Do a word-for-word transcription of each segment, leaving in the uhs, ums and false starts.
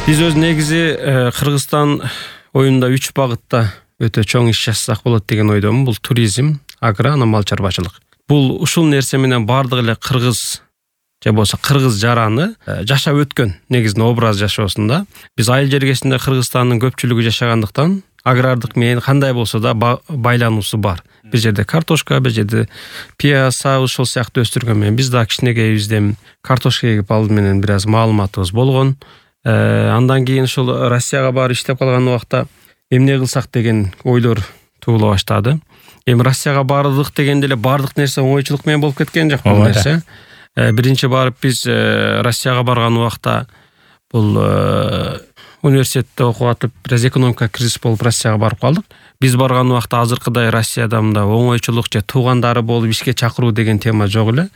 Биз өз негизи Кыргызстан оюнда үч багытта өтө чоң иш жасасак болот деген ойдомун. Бул туризм, агро, анан мал чарбачылык. Бул ушул нерсе менен бардык эле кыргыз же болбосо кыргыз жараны жашап өткөн негизинен образ жашоосунда. Биз айыл жергесинде Кыргызстандын көпчүлүгү жашагандыктан агрардык менен кандай болсо да байлануусу бар. Бир жерде картошка, бир жерде пияса, ошол сыяктуу өстүргөн менен биз да кичинекейибизден картошка эгип ал менен бир аз маалыматыбыз болгон. Андан кийин ушул Россияга барып иштеп калган убакта эмне кылсак деген ойлор туула баштады. Эми Россияга бардык дегенде эле бардык нерсе оңойчулук менен болуп кеткен жок бул нерсе. Биринчи барып биз Россияга барган убакта бул университетте окуп атып бир аз экономика кризис болуп Россияга барып калдык. Биз барган убакта азыркыдай Россияда мындай оңойчулук же туугандары болуп ишке чакыруу деген тема жок эле.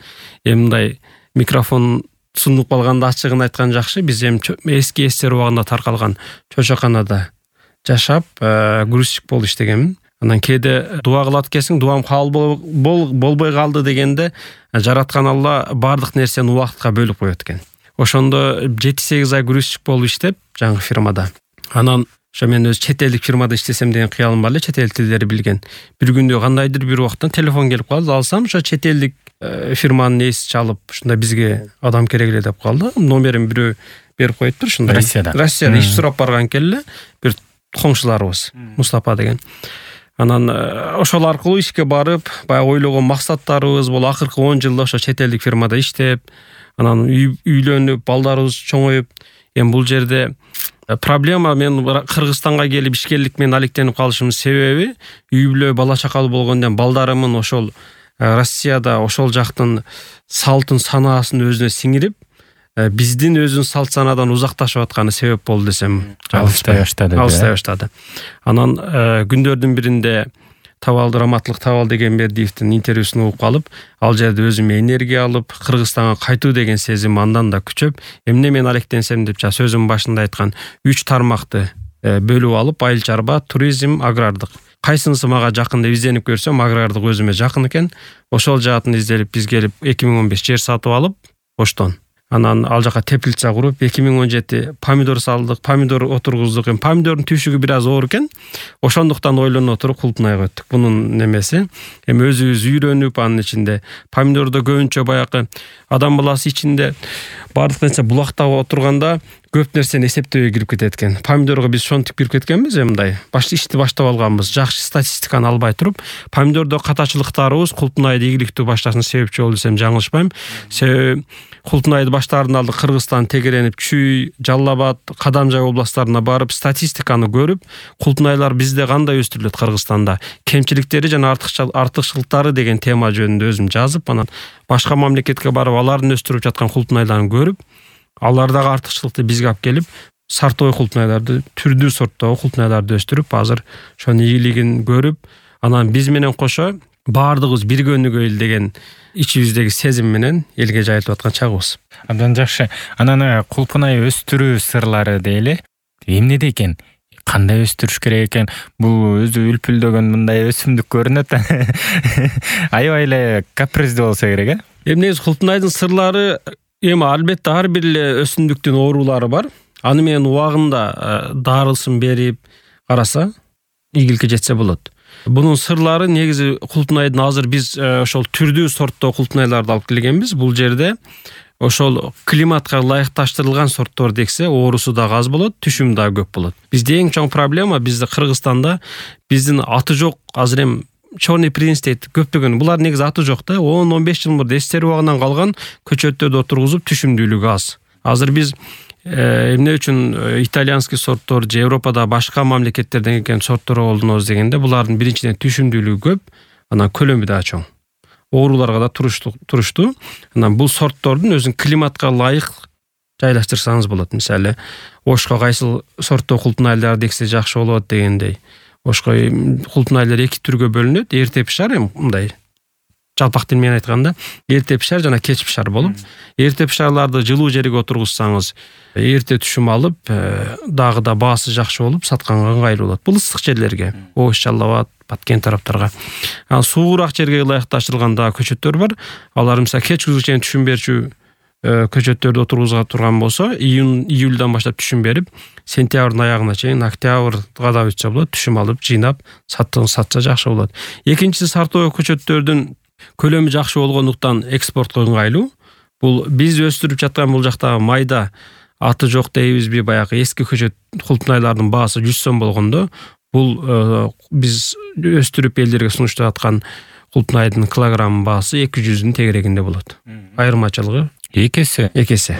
Эми мындай микрофон сунуп калганда ачыгын айткан жакшы. Биз эми эски СССР убагында таркалган чочоканада жашап, грузчик болуп иштегенмин. Анан кээде дуа кылат экенсиң, дуам кабыл болбой калды дегенде жараткан Алла бардык нерсени убакытка бөлүп коет экен. Ошондо жети сегиз ай грузчик болуп иштеп, жаңы фирмада. Анан ошо мен өз чет элдик фирмада иштесем деген кыялым бар эле, чет эл тилдери билген. Бир күндө кандайдыр бир убакта телефон келип калды, алсам ошо чет элдик фирманын ээси чалып, ушундай бизге адам керек эле деп калды. Номерин бирөө берип коюптур, ушундай. Россияда. Россияда иш сурап барган келе, бир коңшуларыбыз, Мустапа деген. Анан ошол аркылуу ишке барып, баягы ойлогон максаттарыбыз бул акыркы он жылда ошо чет элдик фирмада иштеп, анан үйлөнүп, балдарыбыз чоңоюп, эми бул жерде проблема мен Кыргызстанга келип ишкерлик менен алектенип калышымдын себеби үй бүлө бала чакалуу болгондон балдарымын ошол Россияда ошол жактын салтын санаасын өзүнө сиңирип, биздин өзүн салт санаадан узакташып атканы себеп болду десем алыстай баштады. Алыстай баштады. Анан күндөрдүн биринде Табал Раматлык Табал Дегенбердиевдин интервьюсун угуп калып, ал жерде өзүмө энергия алып, Кыргызстанга кайтуу деген сезим андан да күчөп, эмне мен алектенсем деп жа сөзүмдүн башында айткан үч тармакты бөлүп алып, айыл чарба, туризм, агрардык. Кайсынысы мага жакын деп изденип көрсөм, агрардык өзүмө жакын экен. Ошол жаатын изделип биз келип эки миң он беш жер сатып алып, Оштон. Анан ал жака теплица куруп эки миң он жети помидор салдык, помидор отургуздук. Эми помидордун түйшүгү бир аз оор экен. Ошондуктан ойлоно туруп Култунайга өттүк. Бунун немеси эми өзүбүз үйрөнүп, анын ичинде помидордо көбүнчө баягы адам баласы ичинде бардык нерсе булакта отурганда көп нерсени эсептөбөй кирип кетет экен. Помидорго биз ошентип кирип кеткенбиз, эми мындай башты ишти баштап алганбыз. Жакшы статистиканы албай туруп, помидордо катачылыктарыбыз Култунайды ийгиликтүү башташына себепчи болду десем жаңылышпайм. Себеби Култунайды баштаарында алдык Кыргызстан тегеренип, Чүй, Жалал Абад, Кадамжай областтарына барып статистиканы көрүп, Култунайлар бизде кандай өстүрүлөт Кыргызстанда, кемчиликтери жана артыкчылыктары деген тема жөнүндө өзүм жазып, анан башка мамлекетке барып алардын өстүрүп жаткан култунайларын көрүп, алардагы артыкчылыкты бизге алып келип, сортой култунайларды, түрдүү сорттогу култунайларды өстүрүп, азыр ошонун ийгилигин көрүп, анан биз менен кошо баардыгыбыз бирге өнүгөйлү деген ичибиздеги сезим менен элге жайылтып аткан чагыбыз. Абдан жакшы. Анан кулпунай өстүрүү сырлары дейли. Эмнеде экен? Кандай өстүрүш керек экен? Бул өзү үлпүлдөгөн мындай өсүмдүк көрүнөт. Аябай эле каприздүү болсо керек, э? Эми негизи култунайдын сырлары эми албетте ар бир эле өсүмдүктүн оорулары бар. Аны менен убагында дарысын берип караса, ийгиликке жетсе болот. Бунун сырлары негизи култунайдын азыр биз ошол түрдүү сорттоо култунайларды алып келгенбиз. Бул жерде ошол климатка ылайыкташтырылган сорттор дексе, оорусу да аз болот, түшүмү да көп болот. Бизде эң чоң проблема бизде Кыргызстанда биздин аты жок, азыр эми Черный принц дейт, көптөгөн. Булар негизи аты жок да, он он беш жыл мурда СССР убагынан калган көчөттөрдү отургузуп түшүмдүүлүгү аз. Азыр биз эмне үчүн итальянский сорттор же Европада башка мамлекеттерден келген сорттор колдонобуз дегенде, булардын биринчиден түшүмдүүлүгү көп, анан көлөмү да чоң. Ооруларга да туруштуу. Анан бул сорттордун өзүн климатка ылайык жайлаштырсаңыз болот. Мисалы, Ошко кайсыл сорттоо култунайлар дексе жакшы болот дегендей. Ошко култунайлар эки түргө бөлүнөт. Эрте пишар, эми мындай жалпак тил менен айтканда, эрте пишар жана кеч пишар болуп, эрте пишарларды жылуу жерге отургузсаңыз, эрте түшүм алып, дагы да баасы жакшы болуп, сатканга ыңгайлуу болот. Бул ысык жерлерге, Ош, Жалал Абад, Баткен тараптарга. Анан суугураак жерге ылайыкташтырылган дагы көчөттөр бар. Алар мисалы кеч күзгү чейин түшүм берчү көчөттөрдү отургуза турган болсо, июнь июльдан баштап түшүм берип, сентябрдын аягына чейин октябрга да өтсө болот, түшүм алып, жыйнап, саттыгын сатса жакшы болот. Экинчиси, сортовой көчөттөрдүн көлөмү жакшы болгондуктан экспортко ыңгайлуу. Бул биз өстүрүп жаткан бул жактагы майда аты жок дейбизби, баягы эски көчөт кулпунайлардын баасы жүз сом болгондо, бул биз өстүрүп элдерге сунуштап аткан кулпунайдын килограммын баасы эки жүздүн тегерегинде болот. Айырмачылыгы эки эсе. эки эсе.